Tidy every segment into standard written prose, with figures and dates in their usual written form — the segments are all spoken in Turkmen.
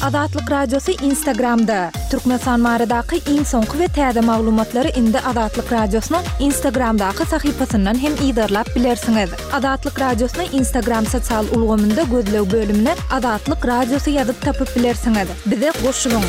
Azatlyk Radiosy Instagramda! Türkmenistan baradaky iň soňky we täze maglumatlary indi Azatlyk Radiosynyň Instagramdaky sahypasyndan hem yzarlap bilersiňiz. Azatlyk Radiosyny Instagram sosial ulgamynda gözleg bölümine Azatlyk Radiosy ýazyp tapyp bilersiňiz. Bize goşulyň!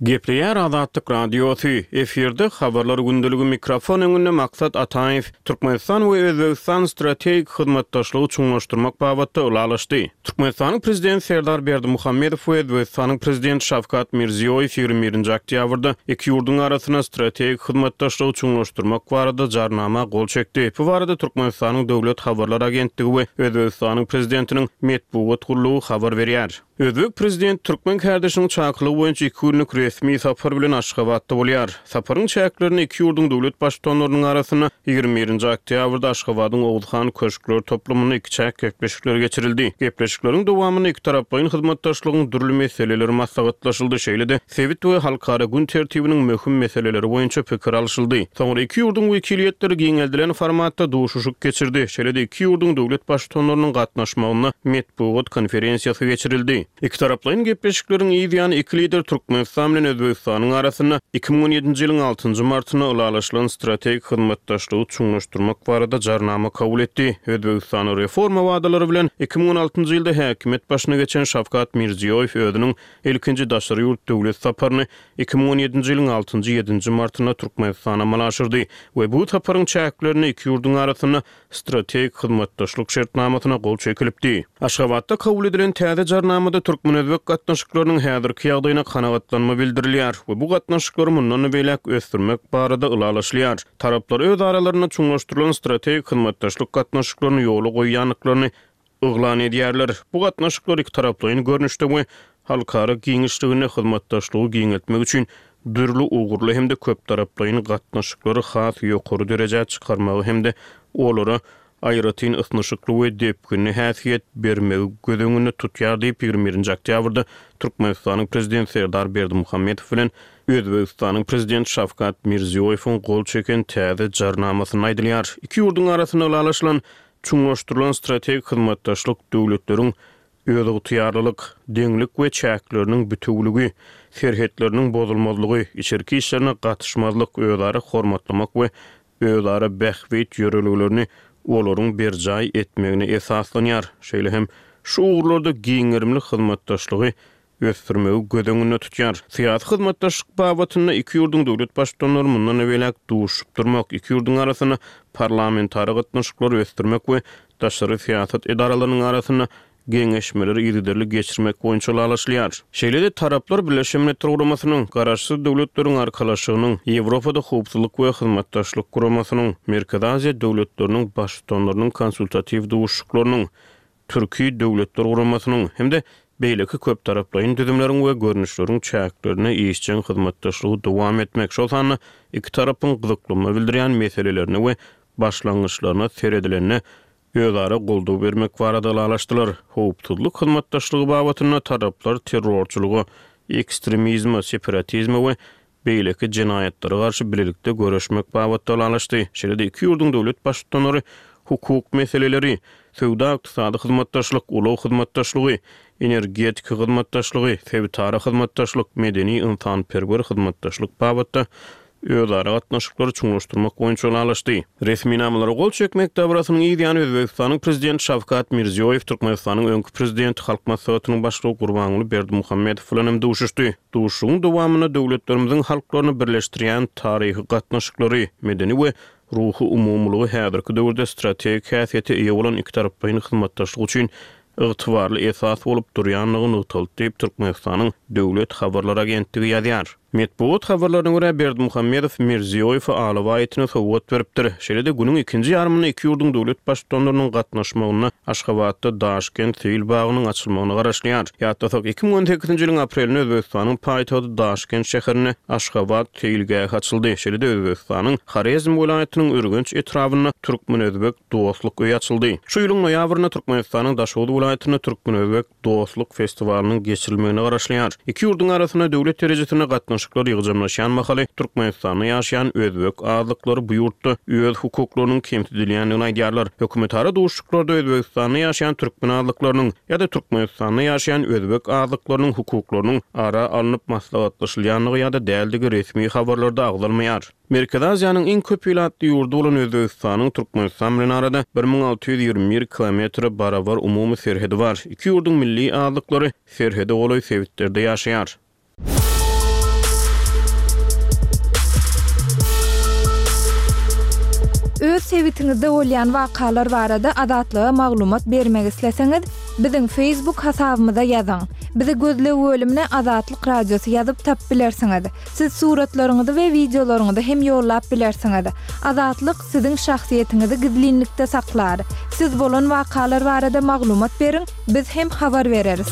Gepleýär Azatlyk Radiosy, efirde Habarlar gündeligi mikrofon öňünde Maksat Ataýew, Türkmenistan we Özbegistan strategik hyzmatdaşlygy çuňlaşdyrmak babatda ylalaşdy. Türkmenistanyň Prezidenti Serdar Berdimuhamedow we Özbegistanyň Prezidenti Şawkat Mirziýoýew 21-nji oktýabrda iki ýurduň arasynda strategik hyzmatdaşlygy çuňlaşdyrmak barada Jarnama gol çekdi. Bu barada Türkmenistanyň Döwlet habarlar agentligi we Özbegistanyň Prezidentiniň metbugat gullugy habar berýär. Özbek prezidenti türkmen kärdeşiniň çakylygy boýunça iki günlük resmi sapar bilen Aşgabatda bolýar. Saparyň çäklerinde iki ýurduň döwlet Baştutanlarynyň arasynda 21-nji oktýabrda Aşgabadyň Oguzhan köşkler toplumynda ikiçäk gepleşikler geçirildi. Gepleşikleriň dowamynda ikitaraplaýyn hyzmatdaşlygyň dürli meseleleri maslahatlaşyldy, şeýle-de sebit we halkara gün tertibiniň möhüm meseleleri boýunça pikir alşyldy. Soňra iki ýurduň wekiliýetleri giňeldilen formatda duşuşyk geçirdi, şeýle-de iki ýurduň döwlet Baştutanlarynyň gatnaşmagynda metbugat konferensiýasy geçirildi. Ikitaraplaýyn gepleşikleriň yz ýany iki lider Türkmenistan bilen Özbegistanyň arasynda 2017-nji ýylyň altynjy martynda ylalaşylan strategik hyzmatdaşlygy çuňlaşdyrmak barada Jarnama kabul etdi. Özbegistanda reforma wadalary bilen 2016-njy ýylda häkimiýet başyna geçen Şawkat Mirziýoýew özüniň ilkinji daşary ýurt döwlet saparyny 2017-nji ýylyň altynjy, ýedinji martynda Türkmenistana amala aşyrdy we bu saparyň çäklerinde iki ýurduň arasynda strategik hyzmatdaşlyk şertnamasyna gol çekilipdi. Aşgabatda kabul edilen täze Jarnamada türkmen-özbek gatnaşyklarynyň häzirki ýagdaýyna kanagatlanma bildirilýär we bu gatnaşyklary mundan beýläk ösdürmek barada ylalaşylýar. Taraplar öz aralarynda çuňlaşdyrylan strategik hyzmatdaşlyk gatnaşyklaryny ýola goýýandyklaryny yglan edýärler. Bu gatnaşyklar ikitaraplaýyn görnüşde we halkara giňişliginde hyzmatdaşlygy giňeltmek üçin dürli ugurly hem-de köptaraplaýyn gatnaşyklary has ýokary derejä çykarmagy hem-de olara aýratyn ysnyşykly we depginli häsiýet bermegi göz öňünde tutýar diýip, 21-nji oktýabrda Türkmenistanyň Prezidenti Serdar Berdimuhamedow bilen Özbegistanyň Prezidenti Şawkat Mirziýoýewiň gol çeken täze Jarnamasynda aýdylýar. Iki ýurduň arasynda ylalaşylan Çuňlaşdyrylan strategik hyzmatdaşlyk döwletleriň özygtyýarlylyk, deňlik we çäkleriniň bitewüligi, serhetleriniň bozulmazlygy, içerki işlerine gatyşmazlyk, özara hormatlamak we özara bähbit ýörelgelerini olaryň berjaý etmegine esaslanýar, şeýle hem şu ugurlarda giň gerimli hyzmatdaşlygy ösdürmegi göz öňünde tutýar. Syýasy hyzmatdaşlyk babatynda iki ýurduň döwlet Baştutanlary mundan beýläk duşuşyp durmak, iki ýurduň arasynda parlamentara gatnaşyklary ösdürmek we daşary syýasat edaralarynyň arasynda geňeşmeleri yzygiderli geçirmek boýunça ylalaşylýar. Şeýle-de taraplar Birleşen Milletler Guramasynyň, Garaşsyz Döwletleriň Arkalaşygynyň, Ýewropada Howpsuzlyk we Hyzmatdaşlyk Guramasynyň, Merkezi Aziýa döwletleriniň Baştutanlarynyň konsultatiw duşuşyklarynyň, Türki Döwletler Guramasynyň hem-de beýleki köptaraplaýyn düzümleriň we görnüşleriň çäklerinde işjeň hyzmatdaşlygy dowam etmek, şol sanda iki tarapyň gyzyklanma bildirýän meselelerine we başlangyçlaryna seredilende özara goldaw bermek barada ylalaşdylar. Howpsuzlyk hyzmatdaşlygy babatynda taraplar terrorçylyga, ekstremizme, separatizme we beýleki jenaýatlara garşy bilelikde göreşmek babatda ylalaşdy. Şeýle-de iki ýurduň döwlet Baştutanlary hukuk meseleleri, söwda-ykdysady hyzmatdaşlyk, ulag hyzmatdaşlygy, energetika hyzmatdaşlygy, sebitara hyzmatdaşlyk, medeni-ynsanperwer hyzmatdaşlyk babatda özara gatnaşyklary çuňlaşdyrmak boýunça ylalaşdy. Resminamalara gol çekmek dabarasynyň yz ýany Özbegistanyň Prezidenti Şawkat Mirziýoýew Türkmenistanyň öňki Prezidenti, Halk Maslahatynyň Başlygy Gurbanguly Berdimuhamedow bilen hem duşuşdy. Duşuşygyň dowamynda döwletlerimiziň halklaryny birleşdirýän taryhy gatnaşyklary, medeni we ruhy umumylygy häzirki döwürde strategik häsiýete eýe bolan ikitaraplaýyn hyzmatdaşlyk üçin ygtybarly esas bolup durýandygy nygtaldy diýip, Türkmenistanyň Döwlet habarlar agentligi ýazýar. Metbugat habarlaryna görä, Berdimuhamedow Mirziýoýewe alabaý itini sowgat beripdir. Şeýle-de günüň ikinji ýarymynda iki ýurduň döwlet Baştutanlarynyň gatnaşmagynda Aşgabatda Daşkent seýil bagynyň açylmagyna garaşylýar. Ýatlasak, 2018-nji ýylyň aprelinde Özbegistanyň paýtagty Daşkent şäherinde Aşgabat seýilgähi açyldy. Şeýle-de Özbegistanyň Horezm welaýatynyň Ürgenç etrabynda Türkmen-özbek dostluk öýi açyldy. Şu ýylyň noýabrynda Türkmenistanyň Daşoguz welaýatynda Türkmen-özbek dostluk festiwalynyň geçirilmegine garaşylýar. Iki ýurduň arasynda döwlet derejesinde gatnaşyk. gatnaşyklar ýygjamlaşýan mahaly Türkmenistanda ýaşaýan özbek azlyklary bu ýurtda öz hukuklarynyň kemsidilýändigini aýdýarlar. Hökümetara duşuşyklarda Özbegistanda ýaşaýan türkmen azlyklarynyň ýa-da Türkmenistanda ýaşaýan özbek azlyklarynyň hukuklarynyň ara alnyp maslahatlaşylýandygy ýa-da däldigi resmi habarlarda agzalmaýar. Merkezi Aziýanyň iň köp ilatly ýurdy bolan Özbegistanyň Türkmenistan bilen arada 1621 kilometre barabar umumy serhedi bar. Iki ýurduň milli azlyklary serhede golaý sebitlerde ýaşaýar. Öz sebitiňizde bolýan wakalar barada Azatlyga maglumat bermek isleseňiz, biziň Facebook hasabymyza ýazyň. Bizi gözleg bölümine Azatlyk Radiosy ýazyp tapyp bilersiňiz. Siz suratlaryňyzy we wideolaryňyzy hem ýollap bilersiňiz. Azatlyk siziň şahsyýetiňizi gizlinlikde saklar. Siz bolan wakalar barada maglumat beriň, biz hem habar bereris.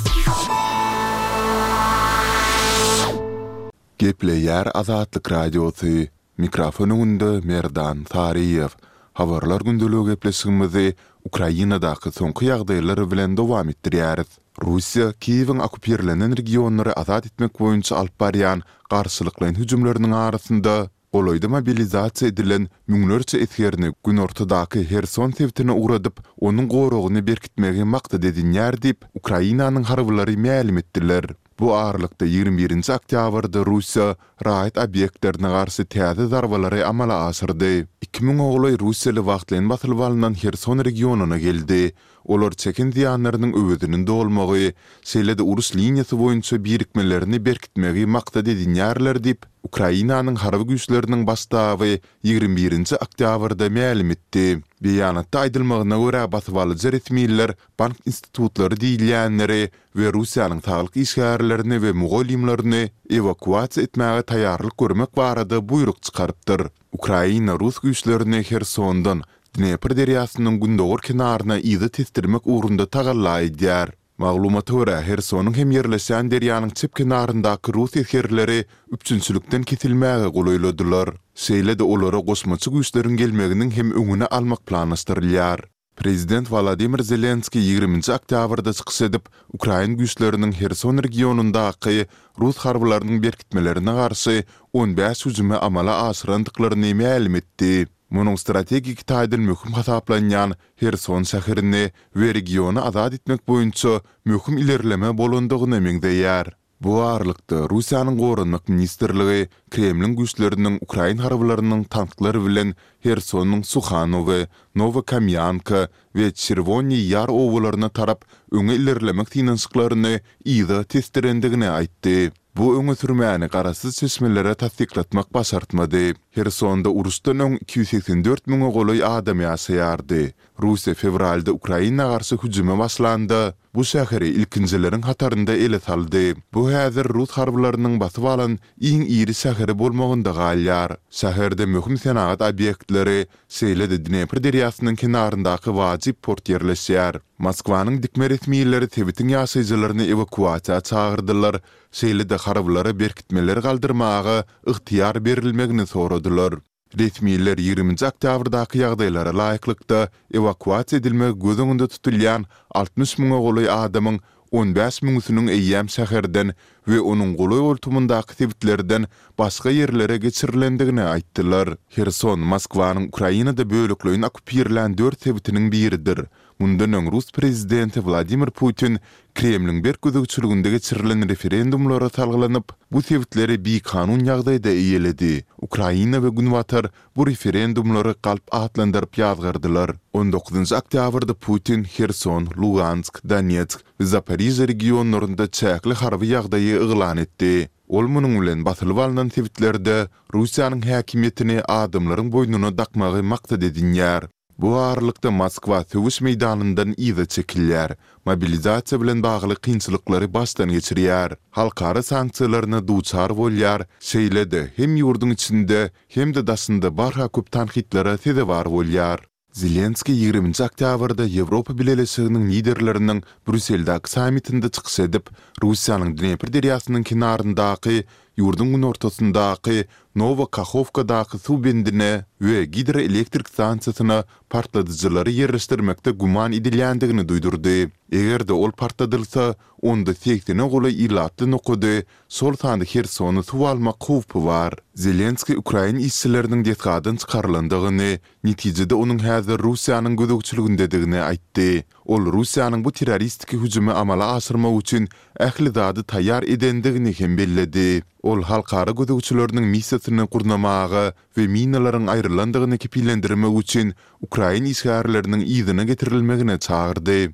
Gepleýär Azatlyk Radiosy, Mikrofon öňünde Merdan Saryýew. Habarlar gündeligi gepleşigimizi Ukrainadaky soňky ýagdaýlar bilen dowam etdirýäris. Russiýa Kiýewiň okupirlenen regionlary azat etmek boýunça alyp barýan garşylyklaýyn hüjümleriniň arasynda, golaýda mobilizasiýa edilen müňlerçe esgerini günortadaky Herson sebitine ugradyp, onuň goragyny berkitmegi maksat edinýär diýip, Ukrainanyň harbylary mälim etdiler. Bu aralykda, 21-nji oktýabrda Russiýa raýat obýektlerine garşy täze zarbalary amala aşyrdy. Iki müňe golaý russiýaly wagtlaýyn basylyp alnan Herson regionyna geldi. Olar çeken zyýanlarynyň öweziniň dolmagy, şeýle-de uruş liniýasy boýunça birikmelerini berkitmegi maksat edinýärler diýip, Ukrainanyň Harby güýçleriniň Baş ştaby 21-nji oktýabrda mälim etdi. Beýanatda aýdylmagyna görä, basybalyjy resmiler bank institutlary diýilýänleri we Russiýanyň saglyk işgärlerini we mugallymlaryny ewakuasiýa etmäge taýýarlyk görmek barada buýruk çykarypdyr. Ukraina rus güýçlerini Hersondan Dnepr derýasynyň gündogar kenaryna yza tesdirmek ugrunda tagalla edýär. Maglumata görä, Hersonyň hem ýerleşýän derýanyň çep kenaryndaky rus esgerleri üpjünçilikden kesilmäge golaýladylar. Şeýle-de olara goşmaça güýçleriň gelmeginiň hem öňüni almak planlaşdyrylýar. Prezident Wolodymyr Zelenskiý ýigriminji oktýabrda çykyş edip, ukrain güýçleriniň Herson regionyndaky rus harbylarynyň berkitmelerine garşy 15 hüjümi amala aşyrandyklaryny mälim etdi. Munuň strategik taýdan möhüm hasaplanýan Herson şäherini we regiony azat etmek boýunça möhüm ilerleme bolandygyna meňzeýär. Bu aralykda, Russiýanyň Goranmak ministrligi Kremliň güýçleriniň ukrain harbylarynyň tanklar bilen Hersonyň Suhanowe, Nowokamýanka we Çerwonyý Ýar obalaryna tarap öňe ilerlemek synanyşyklaryny yza tesdirendigini aýtdy. Bu öňe sürmäni garaşsyz çeşmelere tassyklatmak başartmady. Hersonda uruşdan öň 284 müňe golaý adam ýaşaýardy. Russiýa fewralda Ukraina garşy hüjüme başlanda, bu şäheri ilkinjileriň hatarynda ele saldy. Bu häzir rus harbylarynyň basyp alan iň iri şäheri bolmagynda galýar. Şäherde möhüm senagat obýektleri, şeýle-de Dnepr derýasynyň kenaryndaky wajyp port ýerleşýär. Moskwanyň dikme resmileri sebitiň ýaşaýjylaryny ewakuasiýa çagyrdylar, şeýle-de harbylara berkitmeleri galdyrmaga ygtyýar berilmegini soradylar. Resmiler ýigriminji oktýabrdaky ýagdaýlara laýyklykda, ewakuasiýa edilmegi göz öňünde tutulýan 60 müňe golaý adamyň 15 müňüsiniň eýýäm şäherden we onuň golaý-goltumyndaky sebitlerden başga ýerlere geçirilendigini aýtdylar. Herson Moskwanyň Ukrainada bölekleýin okkupirlän dört sebitiniň biridir. Mundan öň rus prezidenti Wladimir Putin Kremliň berk gözegçiliginde geçirilen referendumlara salgylanyp, bu sebitleri bikanun ýagdaýda eýeledi. Ukraina we Günbatar bu referendumlary galp atlandyryp ýazgardylar. On dokuzynjy oktýabrda Putin Herson, Lugansk, Donetsk we Zaporižýa regionlarynda çäkli harby ýagdaýy yglan etdi. Ol munuň bilen basylyp alnan sebitlerde Russiýanyň häkimiýetini adamlaryň boýnuna dakmagy maksat edinýär. Bu aralykda Moskwa söweş meýdanyndan yza çekilýär, mobilizasiýa bilen bagly kynçylyklary başdan geçirýär, halkara sanksiýalaryna duçar bolýar, şeýle-de hem ýurduň içinde, hem-de daşynda barha köp tankytlara sezewar bolýar. Zelenskiý ýigriminji oktýabrda Ýewropa Bileleşiginiň liderleriniň Brýusseldäki sammitinde çykyş edip, Russiýanyň Dnepr derýasynyň kenaryndaky. ýurduň günortasyndaky Nowa Kahowkadaky suw bendine we gidroelektrik stansiýasyna partladyjylary ýerleşdirmekde güman edilýändigini duýdurdy. Eger-de ol partladylsa, onda segsene golaý ilatly nokady, şol sanda Hersony suw almak howpy bar. Zelenskiý ukrain işçileriniň desgadan çykarylandygyny, netijede onuň häzir Russiýanyň gözegçiligindedigini aýtdy. Ol Russiýanyň bu terroristiki hüjümi amala aşyrmak üçin ähli zady taýýar edendigini hem belledi. Ol halkara gözegçileriniň missiýasyny gurnamaga we minalaryň aýrylandygyny kepillendirmek üçin ukrain işgärleriniň yzyna getirilmegine çagyrdy.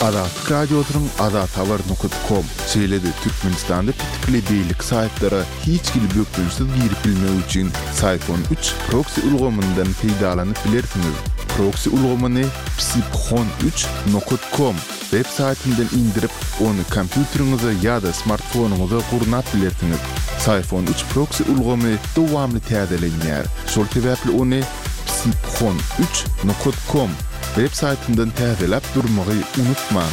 Azatlyk Radiosynyň azathabar nokat kom, şeýle-de Türkmenistanda petikli beýleki saýtlara hiç hili bökdençsiz girip bilmek üçin Syphon üç proksi ulgamyndan peýdalanyp bilersiňiz. Proksi ulgamyny psiphon üç nokat kom web saýtyndan indirip, ony kompýuteriňize ýa-da smartfonyňyza gurnap bilersiňiz. Syphon üç proksi ulgamy dowamly täzelenýär, şol sebäpli ony psiphon üç nokat kom web saýtyndan täzeläp durmagy unutmaň.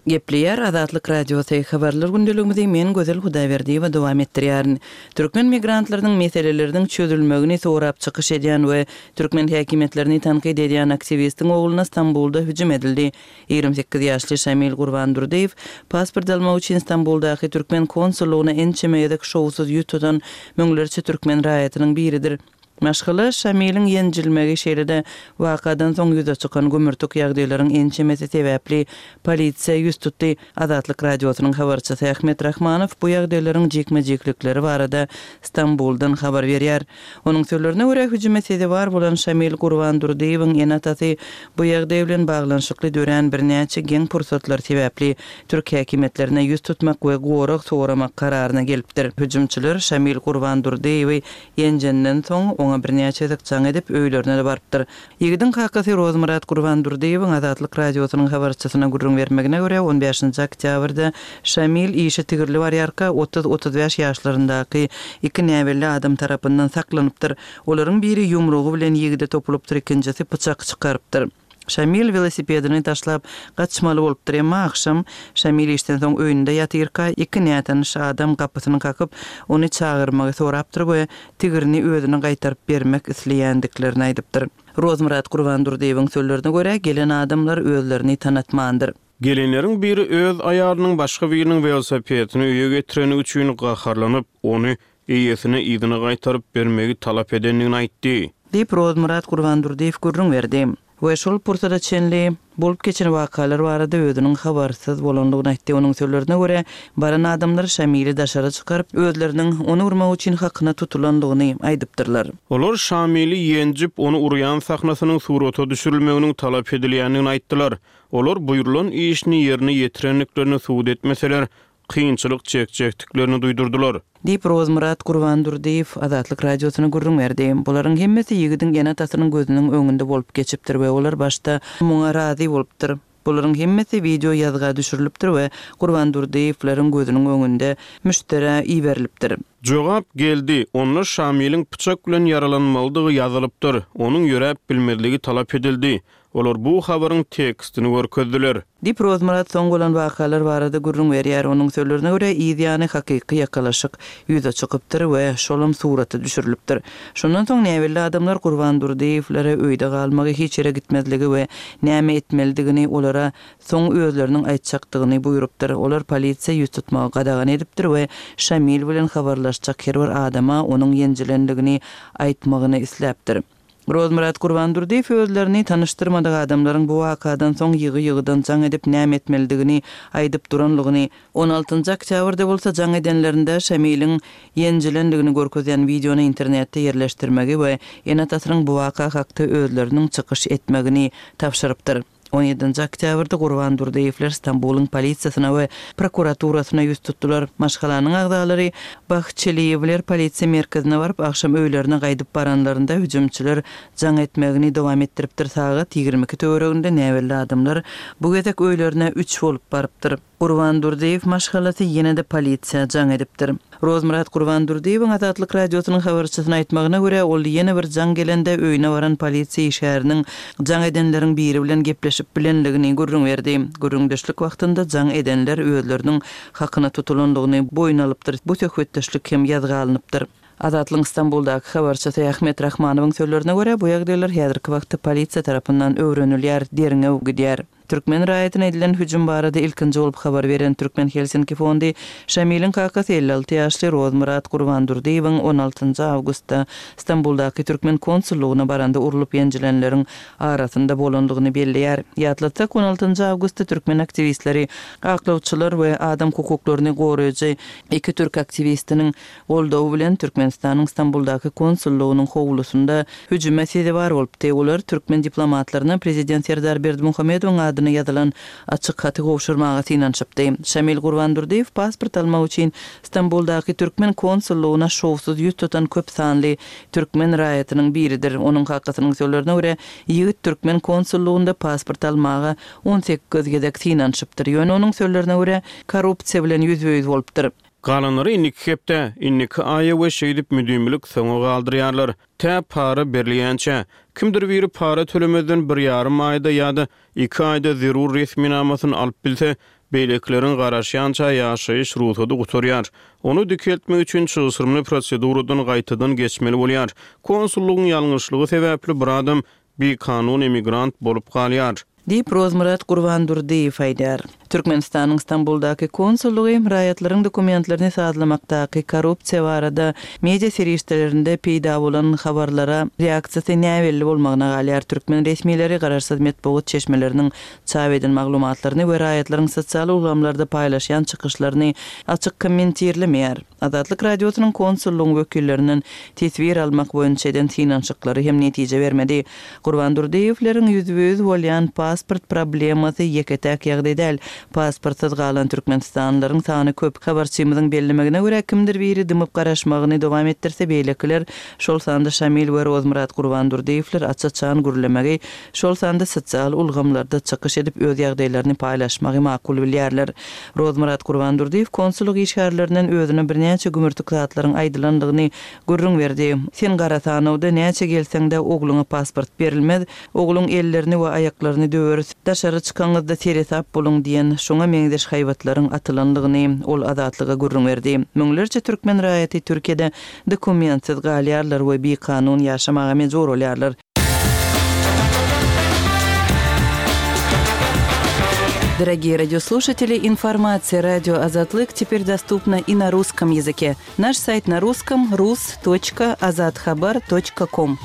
Gepleýär Azatlyk Radiosy, Habarlar gündeligimizi men Gözel Hudaýberdiýewa dowam etdirýärin. Türkmen migrantlarynyň meseleleriniň çözülmegini sorap çykyş edýän we türkmen häkimiýetlerini tankyt edýän aktiwistiň ogluna Stambulda hüjüm edildi. 28 ýaşly Şamil Gurbandurdyýew pasport almak üçin Stambuldaky türkmen konsullygyna ençeme gezek şowsuz ýüz tutan müňlerçe türkmen raýatynyň biridir. Maşgala Şamiliň ýenjilmegi, şeýle-de wakadan soň ýüze çykan gümürtik ýagdaýlaryň ençemesi sebäpli polisiýa ýüz tutdy. Azatlyk Radiosynyň habarçysy Ahmet Rahmanow bu ýagdaýlaryň jikme-jiklikleri barada Stambuldan habar berýär. Onuň sözlerine görä, hüjüme sezewar bolan Şamil Gurbandurdyýewiň ene-atasy bu ýagdaý bilen baglanyşykly dörän birnäçe geň pursatlar sebäpli türk häkimiýetlerine ýüz tutmak we gorag soramak kararyna gelipdir. Hüjümçiler Şamil Gurbandurdyýewi Ýenjenden soň, oňa birnäçe gezek jaň edip, öýlerine-de barypdyr. Ýigidiň kakasy Rozmyrat Gurbandurdyýewiň Azatlyk Radiosynyň habarçysyna gürrüň bermegine görä, on bäşinji oktýabrda Şamil işe tigirli barýarka, otuz-otuz bäş ýaşlaryndaky iki näbelli adam tarapyndan saklanypdyr. Olaryň biri ýumrugy bilen ýigide topulypdyr, ikinjisi pyçak çykarypdyr. Şamil welosipedini taşlap, gaçmaly bolupdyr. Emma agşam Şamil işden soň öýünde ýatyrka, iki nätanyş adam gapysyny kakyp, ony çagyrmagy sorapdyr we tigrini özüne gaýtaryp bermek isleýändiklerini aýdypdyr. Rozmyrat Gurbandurdyýewiň sözlerine görä, gelen adamlar özlerini tanatmandyr. Gelenleriň biri öz aýalynyň başga biriniň welosipedini öýe getireni üçin gaharlanyp, ony eýesine yzyna gaýtaryp bermegi talap edendigini aýtdy. Diýip, Rozmyrat Gurbandurdyýew gürrüň berdi we şol pursada çenli bolup geçen wakalar barada özüniň habarsyz bolandygyny aýtdy. Onuň sözlerine görä, baran adamlar Şamili daşara çykaryp, özleriniň ony urmak üçin hakyna tutulandygyny aýdypdyrlar. Olar Şamili ýenjip, ony urýan sahnasynyň surata düşürilmeginiň talap edilýändigini aýtdylar. Olar buýrulan işini ýerine ýetirendiklerini subut etmeseler, kynçylyk çekjekdiklerini duýdurdylar. Diýip, Rozmyrat Gurbandurdyýew Azatlyk Radiosyna gürrüň berdi. Bularyň hemmesi ýigidiň ene-atasynyň gözüniň öňünde bolup geçipdir we olar başda muňa razy bolupdyr. Bularyň hemmesi wideo ýazga düşürilipdir we Gurbandurdyýewleriň gözüniň öňünde müşderä iberilipdir. Jogap geldi, onda Şamiliň pyçak bilen ýaralanmalydygy ýazylypdyr, onuň ýöräp bilmezligi talap edildi. Olar bu habaryň tekstini görkezdiler. Diýip, Rozmyrat soň bolan wakalar barada gürrüň berýär. Onuň sözlerine görä, yz ýany hakyky ýakalaşyk ýüze çykypdyr we şolam surata düşürilipdir. Şondan soň näbelli adamlar Gurban Durdyýewlere öýde galmagy, hiç ýere gitmezligi we näme etmelidigini olara soň özleriniň aýtjakdygyny buýrupdyr. Olar polisiýa ýüz tutmagy gadagan edipdir we Şamil bilen habarlaşjak her bir adama onuň ýenjilendigini aýtmagyny isläpdir. Rozmyrat Gurbandurdyýew özlerini tanyşdyrmadyk adamlaryň bu wakadan soň ýygy-ýygydan jaň edip näme etmelidigini aýdyp duranlygyny, on altynjy oktýabrda bolsa jaň edenlerinde Şamiliň ýenjilendigini görkezýän wideony internetde ýerleşdirmegi we ene-atasynyň bu waka hakda özleriniň çykyş etmegini tabşyrypdyr. On ýedinji oktýabrda Gurban Durdyýewler Stambulyň polisiýasyna we prokuraturasyna ýüz tutdular. Maşgalanyň agzalary Bahçeliýewler polisiýa merkezine baryp, agşam öýlerine gaýdyp baranlarynda hüjümçiler jaň etmegini dowam etdiripdir. Sagat 22 töwereginde näbelli adamlar bu gezek öýlerine üç bolup barypdyr. Gurban Durdyýew maşgalasy ýene-de polisiýa jaň edipdir. Rozmyrat Gurbandurdyýewiň Azatlyk Radiosynyň habarçysyna aýtmagyna görä, ol ýene bir jaň gelende öýüne baran polisiýa işgäriniň jaň edenleriň biri bilen gepleşip. gepleşip bilenligini gürrüň berdi. Gürrüňdeşlik wagtynda jaň edenler özleriniň hakyna tutulandygyny boýun alypdyr, bu söhbetdeşlik hem ýazga alnypdyr. Azatlygyň Stambuldaky habarçysy Ahmet Rahmanowyň sözlerine görä, bu ýagdaýlar häzirki wagtda polisiýa tarapyndan öwrenilýär, derňew gidýär. Türkmen raýatyna edilen hüjüm barada ilkinji bolup habar beren Türkmen Helsinki fondy Şamiliň kakasy 56 ýaşly Rozmyrat Gurbandurdyýewiň on altynjy awgustda Stambuldaky türkmen konsullygyna baranda urlup-ýenjilenleriň arasynda bolandygyny belleýär. Ýatlatsak, on altynjy awgustda türkmen aktiwistleri, aklawçylar we adam hukuklaryny goraýjy iki türk aktiwistiniň goldawy bilen Türkmenistanyň Stambuldaky konsullygynyň howlusynda hüjüme sezewar bolupdy. Olar türkmen diplomatlaryna prezident Serdar Berdimuhamedowyň adyna ýazylan açyk haty gowşurmaga synanyşypdy. Şamil Gurbandurdyýew pasport almak üçin Stambuldaky türkmen konsullygyna şowsuz ýüz tutan köp sanly türkmen raýatynyň biridir. Onuň kakasynyň sözlerine görä, ýigit türkmen konsullygynda pasport almaga 18 gezek synanyşypdyr. Ýöne onuň sözlerine görä, korrupsiýa bilen ýüzbe-ýüz bolupdyr. Galanlary indiki hepdä, indiki aýa we şeýdip müdimilik soňa galdyrýarlar. Tä para berilýänçä. Kimdir biri para tölemezden bir ýarym aýda ýa-da iki aýda zerur resminamasyny alyp bilse, beýlekileriň garaşýança ýaşaýyş rugsady gutarýar. Ony dikeltmek üçin çylşyrymly proseduradan gaýtadan geçmeli bolýar. Konsullygyň ýalňyşlygy sebäpli bir adam bikanun emigrant bolup galýar. Diýip, Rozmyrat Gurbandurdyýew aýdýar. Türkmenistanyň Stambuldaky konsullygy raýatlaryň dokumentlerini sazlamakdaky korrupsiýa barada media serişdelerinde peýda bolan habarlara reaksiýasy näbelli bolmagyna galýar. Türkmen resmileri garaşsyz metbugat çeşmeleriniň çap eden maglumatlaryny we raýatlaryň sosial ulgamlarda paýlaşýan çykyşlaryny açyk kommentirlemeýär. Azatlyk Radiosynyň konsullygyň wekillerinden teswir almak boýunça eden synanyşyklary hem netije bermedi. Gurban Durdyýewleriň ýüzbe-ýüz bolýan pasport problemasy ýeke-täk ýagdaý däl. Pasportsyz galan türkmenistanlylaryň sany köp. Habarçymyzyň bellemegine görä, kimdir biri dymyp garaşmagyny dowam etdirse, beýlekiler, şol sanda Şamil we Rozmyrat Gurbandurdyýewler aç-açan gürlemegi, şol sanda sosial ulgamlarda çykyş edip öz ýagdaýlaryny paýlaşmagy makul bilýärler. Rozmyrat Gurbandurdyýew konsullyk işgärlerinden özüne birnäçe gümürtik zatlaryň aýdylandygyny gürrüň berdi. Sen gara sanawda näçe gelseň-de ogluňa pasport berilmez, ogluň ellerini we aýaklaryny döweris, daşary çykaňyzda seresap boluň diýen şoňa meňzeş haýbatlaryň atylandygyny ol Azatlyga gürrüň berdi. Müňlerçe türkmen raýaty Türkiýede dokumentsiz galýarlar we bikanun ýaşamaga mejbur bolýarlar. Дорогие радиослушатели, информация радио Азатлык теперь доступна и на русском языке. Наш сайт на русском rus.azathabar.com.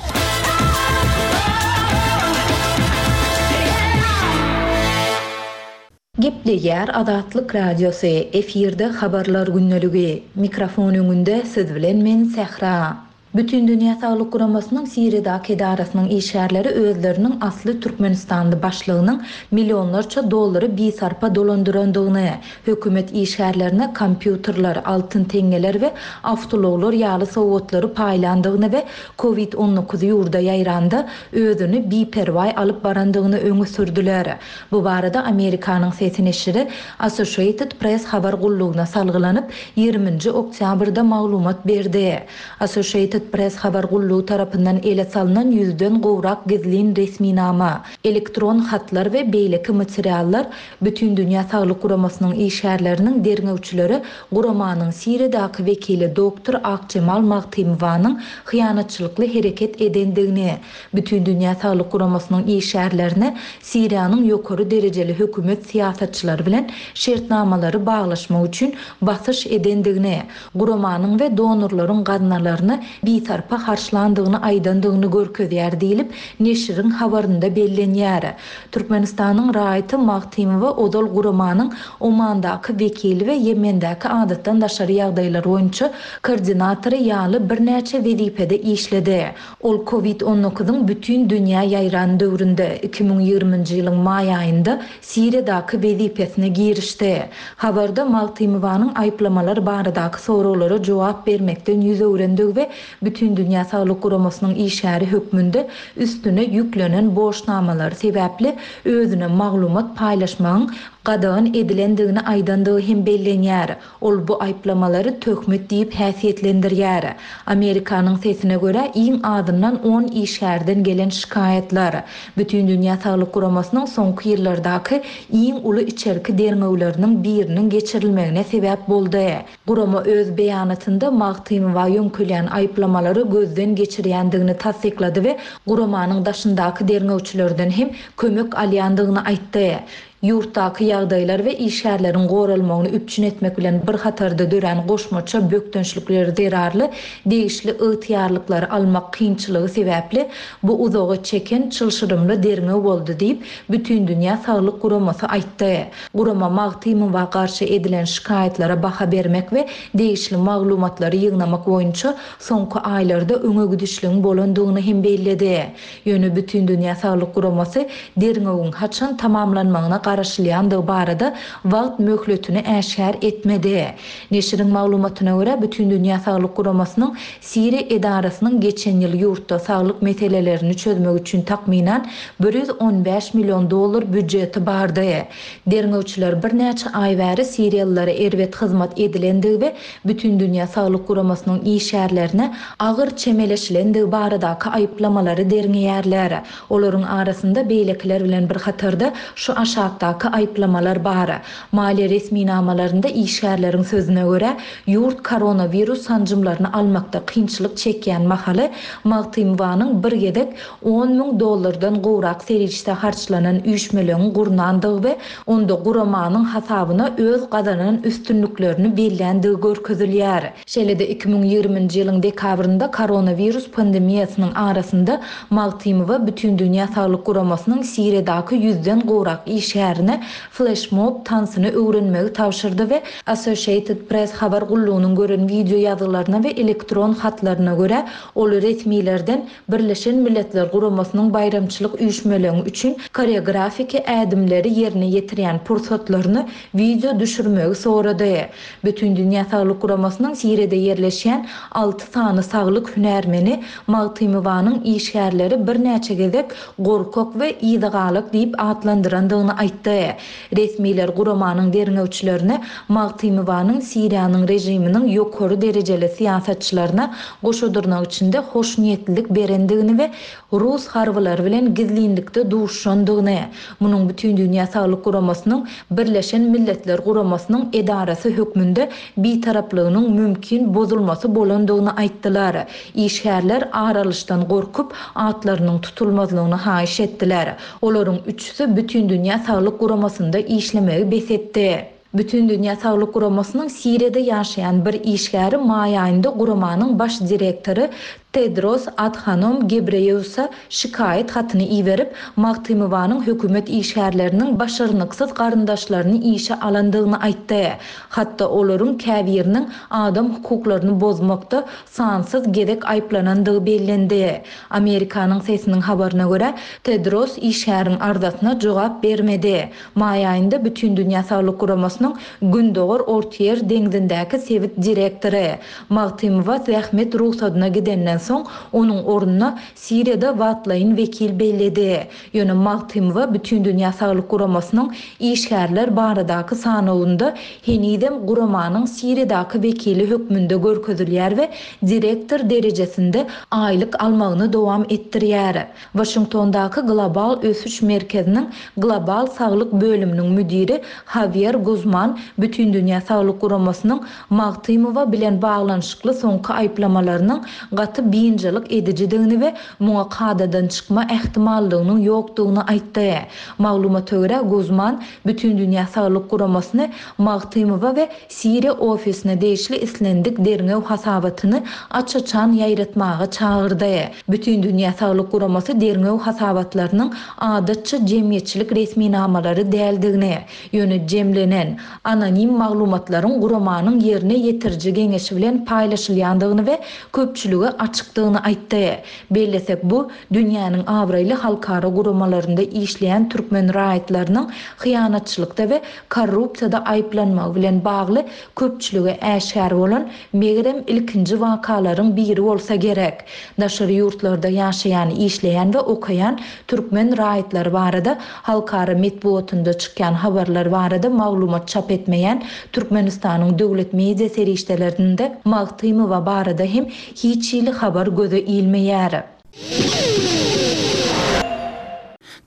Gepleýär Azatlyk Radiosy, efirde Habarlar gündeligi. Mikrofon öňünde siz bilen men Sähra. Bütindünýä Saglyk Guramasynyň Siriýadaky edarasynyň işgärleri özleriniň asly türkmenistanly başlygynyň millionlarça dollary bisarpa dolandyrandygyny, hökümet işgärlerine kompýuterler, altyn teňňeler we awtoulaglar ýaly sowgatlary paýlandygyny we Covid 19 ýurda ýaýranda özüni biperwaý alyp barandygyny öňe sürdüler. Bu barada Amerikanyň Sesi neşiri Associated Press habar gullugyna salgylanyp, ýigriminji oktýabrda maglumat berdi. Associated Press habar gullugy tarapyndan ele salnan ýüzden gowrak gizlin resminama, elektron hatlar we beýleki materiallar Bütindünýä Saglyk Guramasynyň işgärleriniň derňewçilere guramanyň Siriýadaky wekili doktor Akjemal Magtymowanyň hyýanatçylykly hereket edendigini, Bütindünýä Saglyk Guramasynyň işgärlerine Siriýanyň ýokary derejeli hökümet syýasatçylary bilen şertnamalary baglaşmak üçin basyş edendigini, guramanyň we donorlaryň gaznalaryny bisarpa harçlandygyny aýdandygyny görkezýär diýlip, neşiriň habarynda bellenýär. Türkmenistanyň raýaty Magtymowa ozal guramanyň Omandaky wekili we Ýemendäki adatdan daşary ýagdaýlar boýunça koordinatory ýaly birnäçe wezipede işledi. Ol Covid on dokuzyň bütin dünýä ýaýran döwründe, 2020-nji ýylyň maý aýynda Siriýadaky wezipesine girişdi. Habarda Magtymowanyň aýyplamalar baradaky soraglara jogap bermekden ýüz öwrendigi we. Bütindünýä Saglyk Guramasynyň işgäri hökmünde üstüne ýüklenen borçnamalary sebäpli özüne maglumat paýlaşmagyň gadagan edilendigini aýdandygy hem bellenýär. Ol bu aýyplamalary töhmet diýip häsiýetlendirýär. Amerikanyň sesine görä, iň azyndan on işgärden gelen şikaýatlar, Bütindünýä Saglyk Guramasynyň soňky ýyllardaky iň uly içerki derňewleriniň biriniň geçirilmegine sebäp boldy. Gurama öz beýanatynda Magtymowa ýöňkelýän aýyplamalary gözden geçirýändigini tassyklady we guramanyň daşyndaky derňewçilerden hem kömek alýandygyny aýtdy. Ýurtdaky ýagdaýlar we işgärleriň goralmagyny üpjün etmek bilen bir hatarda dörän goşmaça bökdençlikler zerarly degişli ygtyýarlyklary almak kynçylygy sebäpli bu uzaga çeken çylşyrymly derňew boldy diýip, Bütindünýä saglyk guramasy aýtdy. Gurama Magtymowa garşy edilen şikaýatlara baha bermek we degişli maglumatlary ýygnamak boýunça soňky aýlarda öňe gidişligiň bolandygyny hem belledi. Ýöne Bütindünýä saglyk guramasy derňewiň haçan tamamlanmagyna garaşylýandygy barada wagt möhletini äşgär etmedi. Neşiriň maglumatyna görä, Bütindünýä saglyk guramasynyň Siriýa edarasynyň geçen ýyl ýurtda saglyk meselelerini çözmek üçin takmynan 115 million dollar býujeti bardy. Derňewçiler birnäçe aý bäri siriýalylara erbet hyzmat edilendigi we Bütindünýä saglyk guramasynyň işgärlerine agyr çemeleşilendigi baradaky aýyplamalary derňeýärler. Olaryň arasynda beýlekiler bilen bir hatarda şu aşakdaky aýyplamalar bar. Maliýe resminamalarynda işgärleriň sözüne görä, ýurt koronawirus sanjymlaryny almakda kynçylyk çekýän mahaly Magtymowanyň bir gezek on müň dollardan gowrak serişde harçlanan üýşmeleňi gurnandygy we onda guramanyň hasabyna öz gazanan üstünliklerini belländigi görkezilýär. Şeýle-de 2020-nji ýylyň dekabrynda koronawirus pandemiýasynyň arasynda Magtymowa Bütindünýä Saglyk Guramasynyň Siriýadaky ýüzden gowrak işgärine fleşmob tansyny öwrenmegi tabşyrdy we Associated Press habar gullugynyň gören wideo ýazgylaryna we elektron hatlaryna görä, ol resmilerden Birleşen Milletler Guramasynyň baýramçylyk üýşmeleňi üçin koreografiki ädimleri ýerine ýetirýän pursatlaryny wideo düşürmegi sorady. Bütindünýä Saglyk Guramasynyň Siriýada ýerleşýän alty sany saglyk hünärmeni Magtymowanyň işgärleri birnäçe gezek gorkak we yzagalak diýip atlandyrandygyny aýtdy. Resmiler guramanyň derňewçilerine Magtymowanyň Siriýanyň režiminiň ýokary derejeli syýasatçylaryna goşa dyrnak içinde hoşniýetlilik berendigini we rus harbylary bilen gizlinlikde duşuşandygyny, munuň Bütindünýä Saglyk Guramasynyň Birleşen Milletler Guramasynyň edarasy hökmünde bitaraplygynyň mümkin bozulmasy bolandygyny aýtdylar. Işgärler ar alyşdan gorkup, atlarynyň tutulmazlygyny haýyş etdiler. Olaryň üçüsi Bütindünýä Saglyk Guramasynda işlemegi bes etdi. Bütindünýä Saglyk Guramasynyň Siriýada ýaşaýan bir işgäri maý aýynda guramanyň baş direktory Tedros Adhanom Gebreýeusa şikaýat hatyny iberip, Magtymowanyň hökümet işgärleriniň başarnyksyz garyndaşlaryny işe alandygyny aýtdy. Hatda olaryň käbiriniň adam hukuklaryny bozmakda sansyz gezek aýyplanandygy bellendi. Amerikanyň Sesiniň habaryna görä, Tedros işgäriň arzasyna jogap bermedi. Maý aýynda Bütindünýä Saglyk Guramasynyň Gündogar Ortaýer deňzindäki sebit direktory Magtymowa zähmet rugsadyna gidenden soň, onuň ornuna Siriýada wagtlaýyn wekil belledi. Ýöne Magtymowa Bütindünýä Saglyk Guramasynyň işgärler baradaky sanawynda henizem guramanyň Siriýadaky wekili hökmünde görkezilýär we direktor derejesinde aýlyk almagyny dowam etdirýär. Waşingtondaky Global ösüş merkeziniň Global saglyk bölüminiň müdiri Hawýer Guzman Bütindünýä saglyk guramasynyň Magtymowa bilen baglanyşykly soňky aýyplamalarynyň gaty biynjalyk edijidigini we muňa kadadan çykma ähtimallygynyň ýokdugyny aýtdy. Maglumata görä, Guzman Bütindünýä saglyk guramasyny Magtymowa we Siriýa ofisine degişli islendik derňew hasabatyny aç-açan ýaýratmaga çagyrdy. Bütindünýä saglyk guramasy derňew hasabatlarynyň adatça jemgyýetçilik resminamalary däldigini, ýöne jemlenen, anonim maglumatlaryň guramanyň ýerine ýetiriji geňeşi bilen paýlaşylýandygyny we köpçülige açyk. açykdygyny aýtdy. Bellesek, bu, dünýäniň abraýly halkara guramalarynda işleýän türkmen raýatlarynyň hyýanatçylykda we korrupsiýada aýyplanmagy bilen bagly köpçülige äşgär bolan, megerem, ilkinji wakalaryň biri bolsa gerek. Daşary ýurtlarda ýaşaýan, işleýän we okaýan türkmen raýatlary barada halkara metbugatynda çykýan habarlar barada maglumat çap etmeýän Türkmenistanyň döwlet media serişdelerinde Magtymowa barada hem hiç hili habar göze ilmeýär.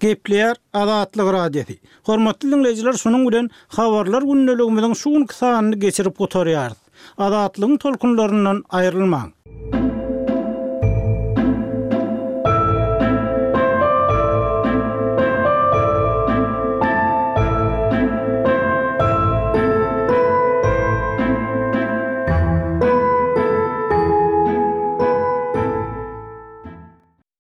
Gepleýär Azatlyk Radiosy. Hormatly diňleýjiler şunuň bilen Habarlar gündeligimiziň şu günki sanyny geçirip gutarýarys. Azatlygyň tolkunlaryndan aýrylmaň!